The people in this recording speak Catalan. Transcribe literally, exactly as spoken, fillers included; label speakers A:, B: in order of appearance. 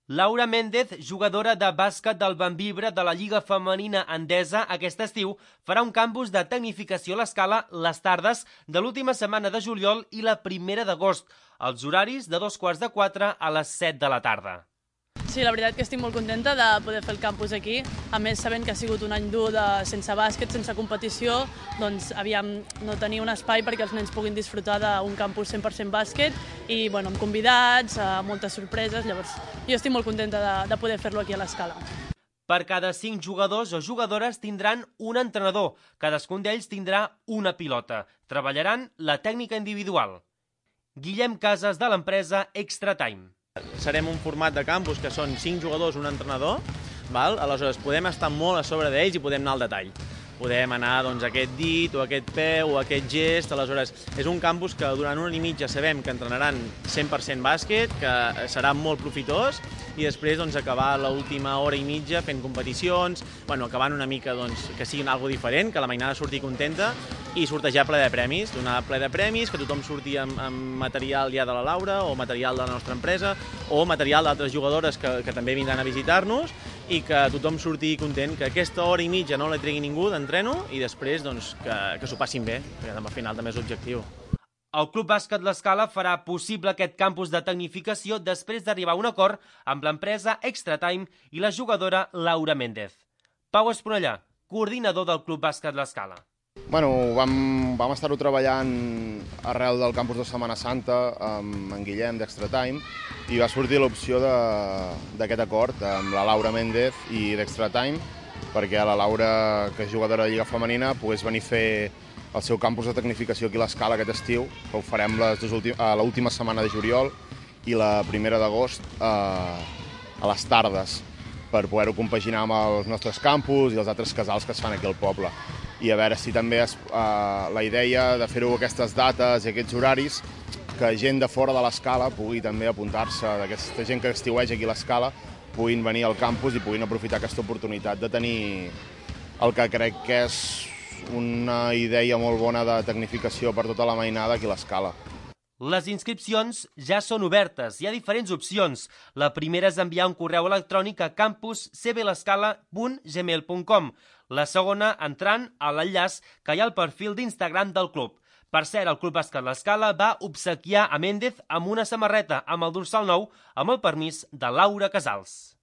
A: Laura Méndez, jugadora de bàsquet del Bembibre de la Lliga Femenina Endesa, aquest estiu farà un campus de tecnificació a l'Escala les tardes de l'última setmana de juliol i la primera d'agost, els horaris de dos quarts de quatre a les set de la tarda.
B: Sí, la veritat que estic molt contenta de poder fer el campus aquí. A més, sabent que ha sigut un any dur de, sense bàsquet, sense competició, doncs aviam no tenir un espai perquè els nens puguin disfrutar d'un campus cent per cent bàsquet i bueno, amb convidats, moltes sorpreses, llavors jo estic molt contenta de, de poder fer-lo aquí a l'Escala.
A: Per cada cinc jugadors o jugadores tindran un entrenador, cadascun d'ells tindrà una pilota. Treballaran la tècnica individual. Guillem Casas, de l'empresa Extra Time.
C: Serem un format de campus que són cinc jugadors, un entrenador, val? Aleshores podem estar molt a sobre d'ells i podem anar al detall. Podem anar doncs, a aquest dit o a aquest peu o a aquest gest, aleshores és un campus que durant una hora i mitja sabem que entrenaran cent per cent bàsquet, que serà molt profitós i després doncs, acabar l'última hora i mitja fent competicions, bueno, acabant una mica doncs, que siguin algo diferent, que la mainada surti contenta i sortejar ple de premis, donar ple de premis, que tothom surti amb, amb material ja de la Laura o material de la nostra empresa o material d'altres jugadores que, que també vindran a visitar-nos i que tothom surti content, que aquesta hora i mitja no la tregui ningú d'entreno i després doncs, que, que s'ho passin bé, perquè al final també és l'objectiu.
A: El Club Bàsquet L'Escala farà possible aquest campus de tecnificació després d'arribar a un acord amb l'empresa Extra Time i la jugadora Laura Méndez. Pau Esponellà, coordinador del Club Bàsquet L'Escala.
D: Bueno, vam, vam estar-ho treballant arrel del campus de Setmana Santa amb en Guillem d'Extra Time i va sortir l'opció d'aquest acord amb la Laura Méndez i d'Extra Time perquè la Laura, que és jugadora de Lliga Femenina, pogués venir a fer el seu campus de tecnificació aquí a l'Escala aquest estiu, que ho farem l'última setmana de juliol i la primera d'agost a, a les tardes per poder-ho compaginar amb els nostres campus i els altres casals que es fan aquí al poble. I a veure si també és uh, la idea de fer-ho aquestes dates i aquests horaris que gent de fora de l'Escala pugui també apuntar-se, d'aquesta gent que estiueja aquí a l'Escala, puguin venir al campus i puguin aprofitar aquesta oportunitat de tenir el que crec que és una idea molt bona de tecnificació per tota la mainada aquí a l'Escala.
A: Les inscripcions ja són obertes. Hi ha diferents opcions. La primera és enviar un correu electrònic a campus c b l'escala punt gmail punt com. La segona, entrant a l'enllaç que hi ha al perfil d'Instagram del club. Per cert, el Club Bàsquet L'Escala va obsequiar a Méndez amb una samarreta amb el dorsal nou amb el permís de Laura Casals.